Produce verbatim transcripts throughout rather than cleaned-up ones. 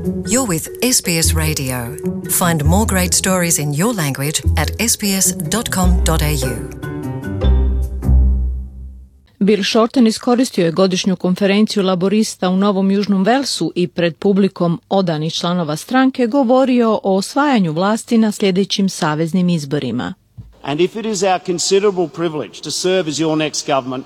You're with S B S Radio. Find more great stories in your language at s b s dot com dot a u. Bill Shorten iskoristio je godišnju konferenciju laborista u Novom Južnom Velsu i pred publikom odanih članova stranke govorio o osvajanju vlasti na sljedećim saveznim izborima. And if it is our considerable privilege to serve as your next government,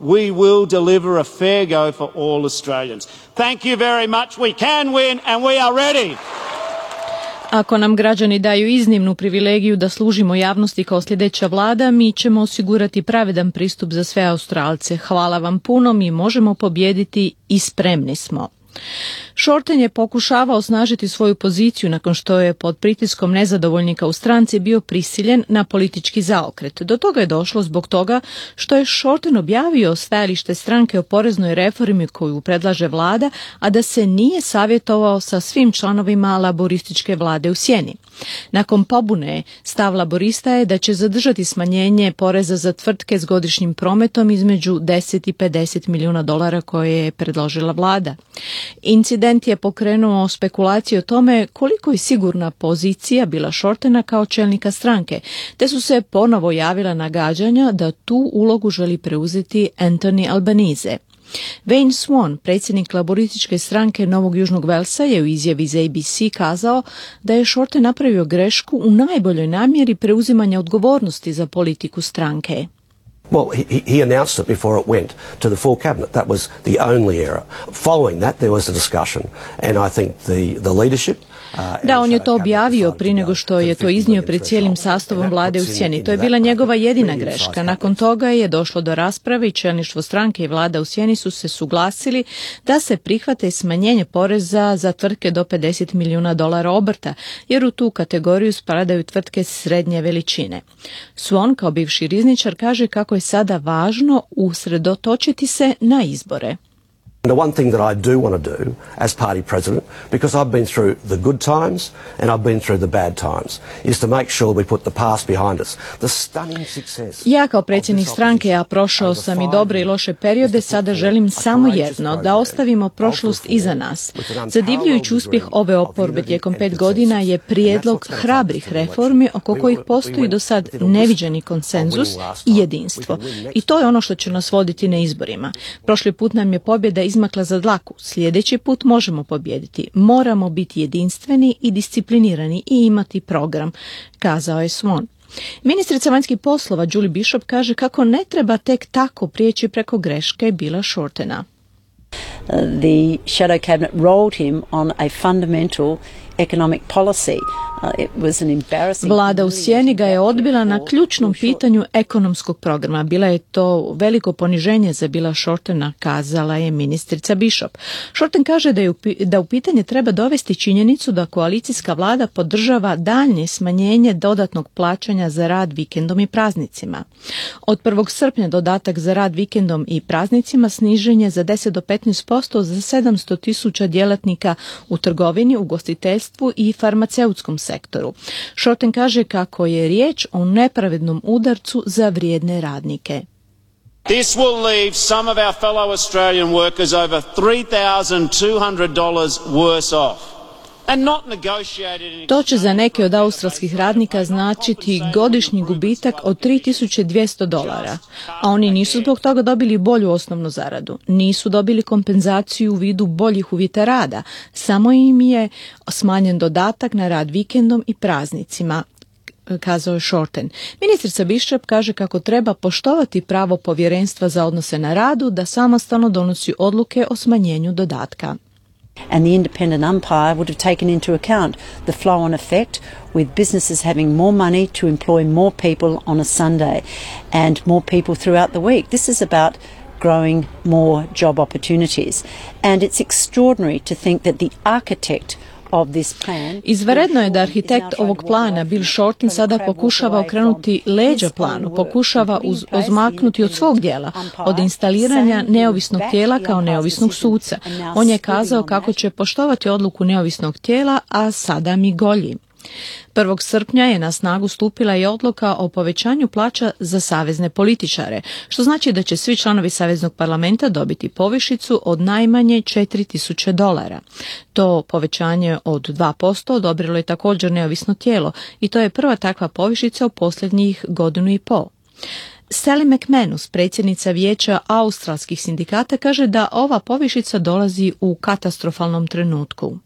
we will deliver a fair go for all Australians. Thank you very much. We can win and we are ready. Ako nam građani daju iznimnu privilegiju da služimo javnosti kao sljedeća vlada, mi ćemo osigurati pravedan pristup za sve Australce. Hvala vam puno, mi možemo pobijediti i spremni smo. Shorten je pokušavao osnažiti svoju poziciju nakon što je pod pritiskom nezadovoljnika u stranci bio prisiljen na politički zaokret. Do toga je došlo zbog toga što je Shorten objavio stajalište stranke o poreznoj reformi koju predlaže vlada, a da se nije savjetovao sa svim članovima laborističke vlade u sjeni. Nakon pobune, stav laborista je da će zadržati smanjenje poreza za tvrtke s godišnjim prometom između deset i pedeset milijuna dolara koje je predložila vlada. Incident je pokrenuo spekulacije o tome koliko je sigurna pozicija bila Shortena kao čelnika stranke, te su se ponovo javila nagađanja da tu ulogu želi preuzeti Anthony Albanese. Wayne Swan, predsjednik laborističke stranke Novog Južnog Velsa, je u izjavi za A B C kazao da je Shorten napravio grešku u najboljoj namjeri preuzimanja odgovornosti za politiku stranke. Well, he, he announced it before it went to the full cabinet. That was the only error. Following that, there was a discussion, and I think the, the leadership... Da, on je to objavio prije nego što je to iznio pred cijelim sastavom vlade u sjeni. To je bila njegova jedina greška. Nakon toga je došlo do rasprave i čelništvo stranke i vlada u sjeni su se suglasili da se prihvate smanjenje poreza za tvrtke do pedeset milijuna dolara obrta, jer u tu kategoriju spadaju tvrtke srednje veličine. Swan, kao bivši rizničar, kaže kako je sada važno usredotočiti se na izbore. The one thing that I do want to do as party president, because I've been through the good times and I've been through the bad times, is to make sure we put the past behind us. The stunning success. Ja kao predsjednik stranke, ja prošao sam i dobre i loše periode, sada želim samo jedno, da ostavimo prošlost iza nas. Zadivljujući uspjeh ove oporbe tijekom pet godina je prijedlog hrabrih reformi oko kojih postoji do sad neviđeni konsenzus i jedinstvo. I to je ono što će nas voditi na izborima. Prošli put nam je pobjeda izmakla za dlaku. Sljedeći put možemo pobijediti. Moramo biti jedinstveni i disciplinirani i imati program, kazao je Swan. Ministrica vanjskih poslova Julie Bishop kaže kako ne treba tek tako prijeći preko greške Billa Shortena. Uh, the shadow cabinet rolled him on a fundamental economic policy. Uh, it was an embarrassing... Vlada u sjeni ga je odbila na ključnom pitanju ekonomskog programa. Bila je to veliko poniženje za Billa Shortena, kazala je ministrica Bishop. Shorten kaže da, je u, da u pitanje treba dovesti činjenicu da koalicijska vlada podržava daljnje smanjenje dodatnog plaćanja za rad vikendom i praznicima. Od prvog srpnja dodatak za rad vikendom i praznicima snižen je za deset do petnaest posto za sedamsto tisuća djelatnika u trgovini, ugostiteljstvu i farmaceutskom sektoru. Shorten kaže kako je riječ o nepravednom udarcu za vrijedne radnike. This will leave some of our fellow Australian workers over three thousand two hundred dollars worse off. To će za neke od australskih radnika značiti godišnji gubitak od tri tisuće dvjesto dolara, a oni nisu zbog toga dobili bolju osnovnu zaradu, nisu dobili kompenzaciju u vidu boljih uvjeta rada, samo im je smanjen dodatak na rad vikendom i praznicima, kazao je Shorten. Ministrica Bishop kaže kako treba poštovati pravo povjerenstva za odnose na radu da samostalno donosi odluke o smanjenju dodatka. And the independent umpire would have taken into account the flow-on effect with businesses having more money to employ more people on a Sunday and more people throughout the week. This is about growing more job opportunities. And it's extraordinary to think that the architect Izvanredno je da arhitekt ovog plana, Bill Shorten, sada pokušava okrenuti leđa planu, pokušava uz, odmaknuti od svog dijela, od instaliranja neovisnog tijela kao neovisnog suca. On je kazao kako će poštovati odluku neovisnog tijela, a sada mi golji. prvog srpnja je na snagu stupila i odluka o povećanju plaća za savezne političare, što znači da će svi članovi Saveznog parlamenta dobiti povišicu od najmanje četiri tisuće dolara. To povećanje od dva posto odobrilo je također neovisno tijelo i to je prva takva povišica u posljednjih godinu i pol. Sally McManus, predsjednica vijeća australskih sindikata, kaže da ova povišica dolazi u katastrofalnom trenutku.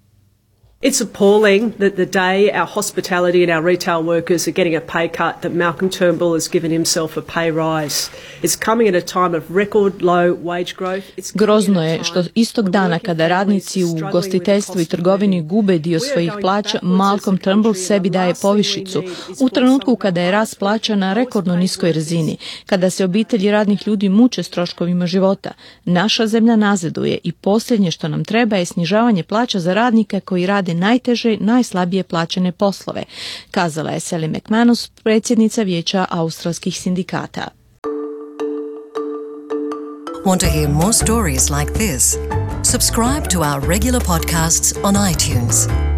It's appalling that the day our hospitality and our retail workers are getting a pay cut that Malcolm Turnbull has given himself a pay rise. It's coming at a time of record low wage growth. Grozno je što istog dana kada radnici u gostiteljstvu i trgovini gube dio svojih plaća, Malcolm Turnbull sebi daje povišicu u trenutku kada je rast plaća na rekordno niskoj razini, kada se obitelji radnih ljudi muče s troškovima života. Naša zemlja nazaduje i posljednje što nam treba je snižavanje plaća za radnike koji rade najteže, najslabije plaćene poslove, kazala je Sally McManus, predsjednica vijeća australskih sindikata. Want to hear more stories like this? Subscribe to our regular podcasts on iTunes.